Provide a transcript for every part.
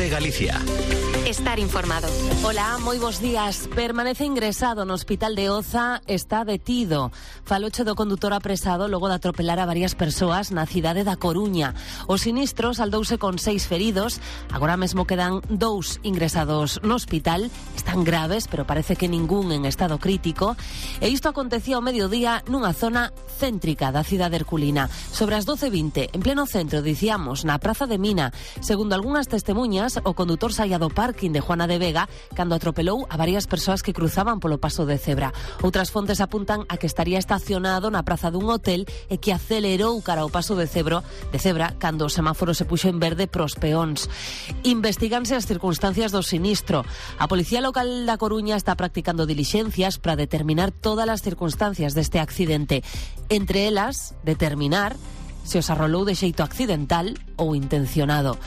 COPE Galicia. Estar informado. Hola, moi bons días. Permanece ingresado no hospital de Oza, está detido. Faloche do condutor apresado logo de atropelar a varias persoas na cidade da Coruña. O sinistro saldouse con 6 feridos. Agora mesmo quedan 2 ingresados no hospital. Están graves, pero parece que ningún en estado crítico. E isto acontecía ao mediodía nunha zona céntrica da cidade herculina. Sobre as 12:20, en pleno centro, dicíamos, na Praza de Mina. Segundo algunhas testemunhas, o condutor saía do parking de Juana de Vega cando atropelou a varias persoas que cruzaban polo paso de cebra. Outras fontes apuntan a que estaría estacionado na praza dun hotel e que acelerou cara ao paso de cebra cando o semáforo se puxo en verde pros peóns. Investíganse as circunstancias do sinistro. A Policía Local da Coruña está practicando dilixencias para determinar todas as circunstancias deste accidente. Entre elas, determinar se os arrolou de xeito accidental ou intencionado.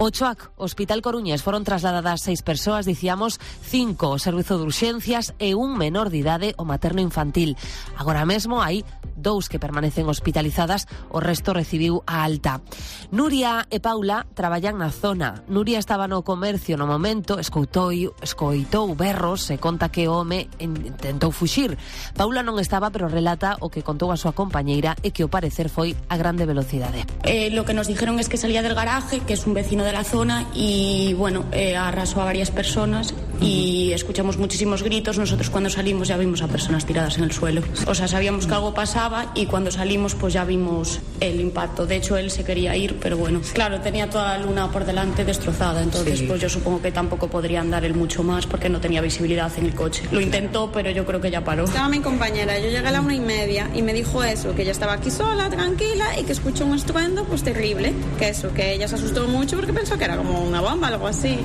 O CHOAC, Hospital Coruñés, foron trasladadas 6 persoas, dicíamos 5 ao servizo de urxencias e un menor de idade o materno infantil. Agora mesmo hai 2 que permanecen hospitalizadas, o resto recibiu a alta. Nuria e Paula traballan na zona. Nuria estaba no comercio no momento, escoitou berros e conta que o home intentou fuxir. Paula non estaba, pero relata o que contou a súa compañeira e que ao parecer foi a grande velocidade. Lo que nos dijeron es que salía del garaje, que es un vecino de la zona, y bueno, arrasó a varias personas y escuchamos muchísimos gritos. Nosotros cuando salimos ya vimos a personas tiradas en el suelo. O sea, sabíamos que algo pasaba y cuando salimos pues ya vimos el impacto. De hecho, él se quería ir, pero bueno, claro, tenía toda la luna por delante destrozada, entonces sí, pues yo supongo que tampoco podría andar él mucho más porque no tenía visibilidad en el coche. Lo intentó, pero yo creo que ya paró. Estaba mi compañera, yo llegué a la 1:30 y me dijo eso, que ella estaba aquí sola, tranquila, y que escuchó un estruendo pues terrible, que eso, que ella se asustó mucho porque pensó que era como una bomba, algo así,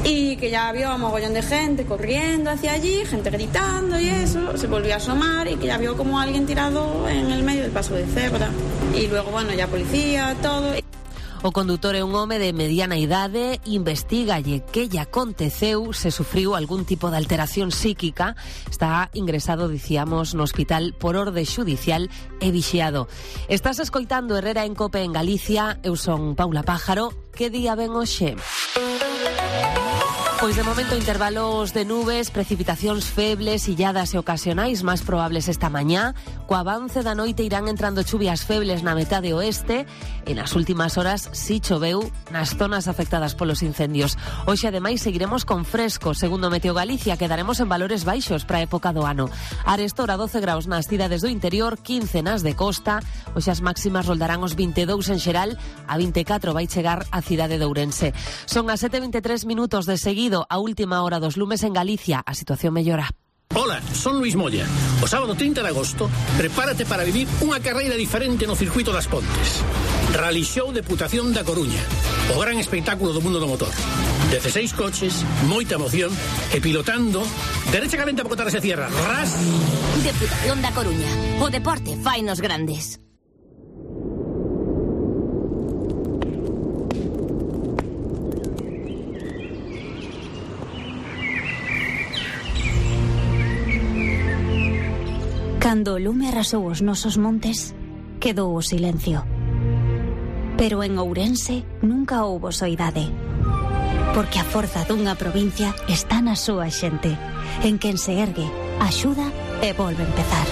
y que ya vio a mogollón de gente corriendo hacia allí, gente gritando y eso, se volvió a asomar y que ya vio como alguien tirado en el medio del paso de cebra, y luego bueno, ya policía, todo. O condutor é un home de mediana idade, investigalle que lle aconteceu, se sufriu algún tipo de alteración psíquica, está ingresado, dicíamos, no hospital por orde xudicial e vixiado. Estás escoitando Herrera en Cope en Galicia, eu son Paula Pájaro, que día ven hoxe? Pois de momento intervalos de nubes, precipitacións febles, illadas e ocasionais máis probables esta mañá. Co avance da noite irán entrando chuvias febles na metade oeste e nas últimas horas si choveu nas zonas afectadas polos incendios. Hoxe ademais seguiremos con fresco, segundo Meteo Galicia, quedaremos en valores baixos para a época do ano. Arestora 12 graus nas cidades do interior, 15 nas de costa. Hoxe as máximas roldarán os 22 en xeral, a 24 vai chegar a cidade de Ourense. Son as 7:23 minutos de seguido. A última hora dos lumes en Galicia, a situación mellora. Hola, son Luis Moya. O sábado 30 de agosto, prepárate para vivir unha carreira diferente no circuito das Pontes. Rally Show Deputación da Coruña. O gran espectáculo do mundo do motor. 16 coches, moita emoción e pilotando derecha calenta para botar esa cierra. Ras. Deputación da Coruña. O deporte fainos grandes. Cando o lume arrasou os nosos montes, quedou o silencio. Pero en Ourense nunca houbo soidade. Porque a forza dunha provincia está na súa xente, en quen se ergue, axuda e volve a empezar.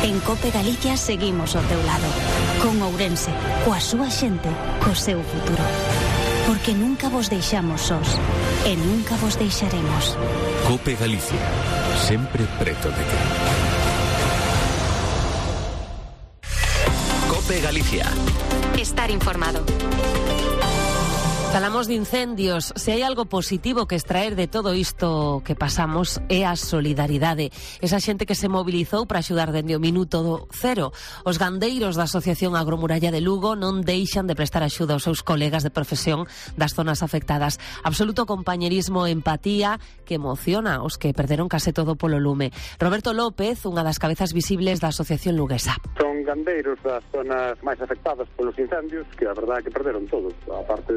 En Cope Galicia seguimos ao teu lado, con Ourense, coa súa xente, co seu futuro. Porque nunca vos deixamos sós, e nunca vos deixaremos. COPE Galicia, sempre preto de ti. COPE Galicia. Estar informado. Falamos de incendios. Se hai algo positivo que extraer de todo isto que pasamos é a solidaridade. Esa xente que se mobilizou para axudar dende o minuto cero. Os gandeiros da Asociación Agromuralla de Lugo non deixan de prestar axuda aos seus colegas de profesión das zonas afectadas. Absoluto compañerismo e empatía que emociona os que perderon case todo polo lume. Roberto López, unha das cabezas visibles da Asociación Luguesa. Son gandeiros das zonas máis afectadas polos incendios que a verdade é que perderon todo. A parte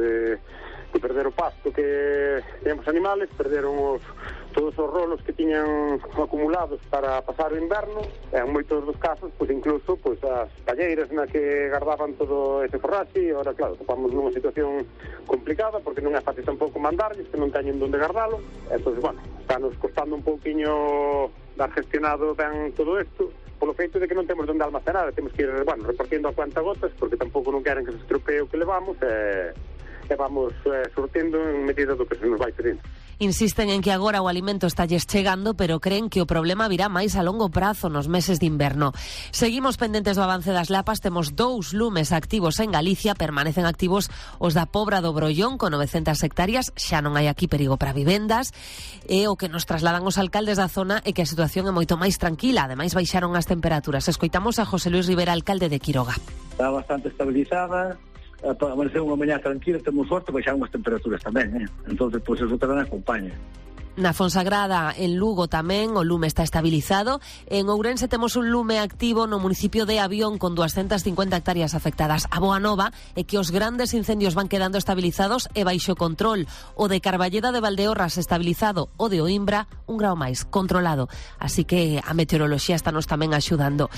de perder o pasto que teñen os animales, perderon todos os rolos que tiñan acumulados para pasar o inverno, e en moitos dos casos, pois incluso as palleiras na que guardaban todo ese forraxe, e ahora, claro, topamos nunha situación complicada, porque non é fácil tampouco mandarlles, que non teñen onde guardalo, entón, bueno, está nos costando un pouquiño dar gestionado ben todo isto, polo feito de que non temos onde almacenar, temos que ir, bueno, repartindo a cuentagotas, porque tampouco non queren que se estropee o que levamos, e vamos sortendo en medida do que se nos vai pedindo. Insisten en que agora o alimento estalles chegando, pero creen que o problema virá máis a longo prazo nos meses de inverno. Seguimos pendentes do avance das lapas, temos 2 lumes activos en Galicia, permanecen activos os da Pobra do Brollón, con 900 hectáreas, xa non hai aquí perigo para vivendas, e o que nos trasladan os alcaldes da zona é que a situación é moito máis tranquila, ademais baixaron as temperaturas. Escoitamos a José Luis Rivera, alcalde de Quiroga. Está bastante estabilizada, amaneceu unha mañá tranquila, temos sorte, baixaron as temperaturas tamén, entonces pois eso tamén acompaña. Na Fonsagrada, en Lugo tamén, o lume está estabilizado. En Ourense temos un lume activo no municipio de Avión con 250 hectáreas afectadas. A boa nova é que os grandes incendios van quedando estabilizados e baixo control. O de Carballeda de Valdeorras estabilizado, o de Oimbra un grao máis, controlado. Así que a meteoroloxía está nos tamén axudando.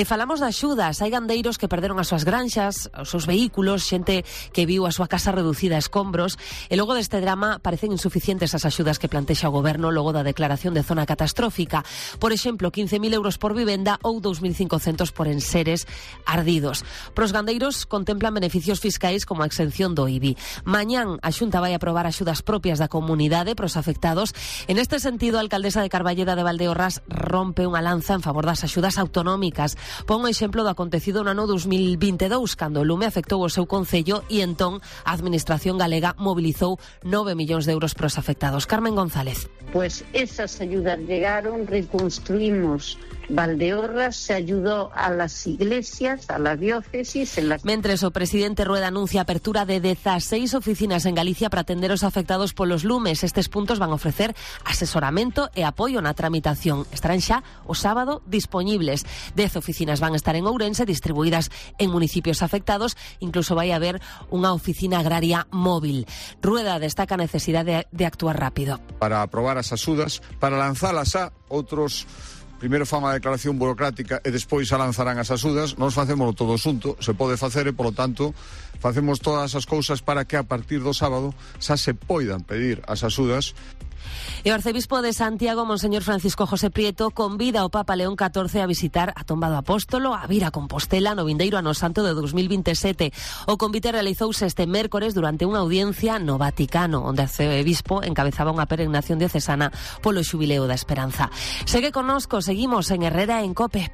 Falamos de axudas. Hai gandeiros que perderon as súas granxas, os seus vehículos, xente que viu a súa casa reducida a escombros. E logo deste drama parecen insuficientes as axudas que plantexa o Goberno logo da declaración de zona catastrófica. Por exemplo, 15.000 euros por vivenda ou 2.500 por enseres ardidos. Pros gandeiros contemplan beneficios fiscais como a exención do IBI. Mañán a Xunta vai aprobar axudas propias da comunidade pros afectados. En este sentido, a alcaldesa de Carballeda de Valdeorras rompe unha lanza en favor das axudas autonómicas. Pon o exemplo do acontecido no ano 2022, cando o lume afectou o seu concello e entón a administración galega mobilizou 9 millóns de euros pros afectados. Carmen González. Pues esas ayudas llegaron, reconstruimos Valdeorras, se ayudó a las iglesias, a la diócesis. Mentres o presidente Rueda anuncia a apertura de 16 oficinas en Galicia para atender os afectados polos lumes. Estes puntos van a ofrecer asesoramento e apoio na tramitación. Estarán xa o sábado dispoñibles. 10 oficinas van a estar en Ourense, distribuídas en municipios afectados. Incluso vai haber unha oficina agraria móvil. Rueda destaca a necesidade de actuar rápido. Para aprobar as axudas, para lanzalas a outros. Primeiro fan a declaración burocrática e despois a lanzarán as axudas. Nós facemos todo xunto, se pode facer e, polo tanto, facemos todas as cousas para que a partir do sábado xa se poidan pedir as axudas. E o arcebispo de Santiago, Monseñor Francisco José Prieto, convida ao Papa León XIV a visitar a Tomba do Apóstolo, a vir a Compostela no vindeiro ano santo de 2027. O convite realizouse este mércores durante unha audiencia no Vaticano, onde o arcebispo encabezaba unha peregrinación diocesana polo xubileo da Esperanza. Segue connosco, seguimos en Herrera en COPE.